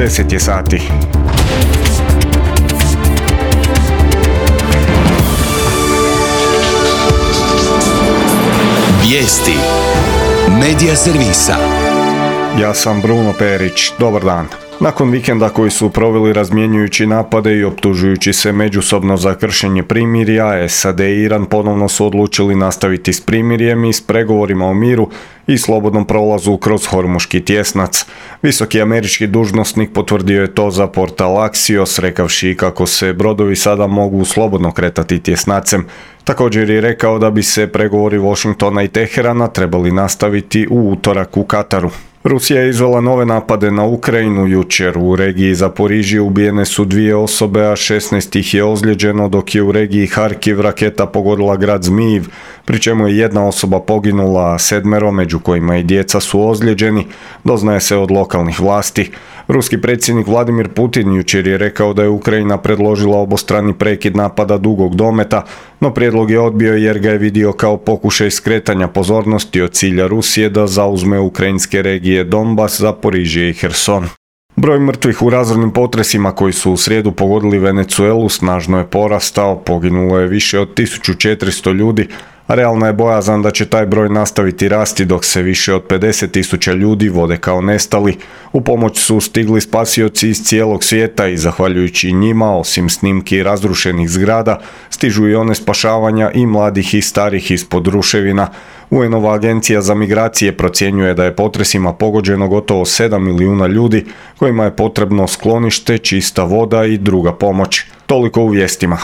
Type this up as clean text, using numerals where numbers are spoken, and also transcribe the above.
10 je sati. Vijesti Medija servisa. Ja sam Bruno Perić, dobar dan. Nakon vikenda koji su proveli razmjenjujući napade i optužujući se međusobno za kršenje primirja, SAD i Iran ponovno su odlučili nastaviti s primirjem i s pregovorima o miru i slobodnom prolazu kroz Hormuški tjesnac. Visoki američki dužnosnik potvrdio je to za portal Axios, rekavši kako se brodovi sada mogu slobodno kretati tjesnacem. Također je rekao da bi se pregovori Washingtona i Teherana trebali nastaviti u utorak u Kataru. Rusija je izvela nove napade na Ukrajinu jučer. U regiji Zaporižje ubijene su 2 osobe, a 16 ih je ozlijeđeno, dok je u regiji Harkiv raketa pogodila grad Zmijiv, pri čemu je 1 osoba poginula, a 7, među kojima i djeca, su ozlijeđeni, doznaje se od lokalnih vlasti. Ruski predsjednik Vladimir Putin jučer je rekao da je Ukrajina predložila obostrani prekid napada dugog dometa, no prijedlog je odbio jer ga je vidio kao pokušaj skretanja pozornosti od cilja Rusije da zauzme ukrajinske regije Donbas, Zaporižje i Herson. Broj mrtvih u razornim potresima koji su u srijedu pogodili Venezuelu snažno je porastao, poginulo je više od 1400 ljudi, a realna je bojazan da će taj broj nastaviti rasti dok se više od 50.000 ljudi vode kao nestali. U pomoć su stigli spasioci iz cijelog svijeta i zahvaljujući njima, osim snimki razrušenih zgrada, stižu i one spašavanja i mladih i starih ispod ruševina. UN-ova agencija za migracije procjenjuje da je potresima pogođeno gotovo 7 milijuna ljudi kojima je potrebno sklonište, čista voda i druga pomoć. Toliko u vijestima.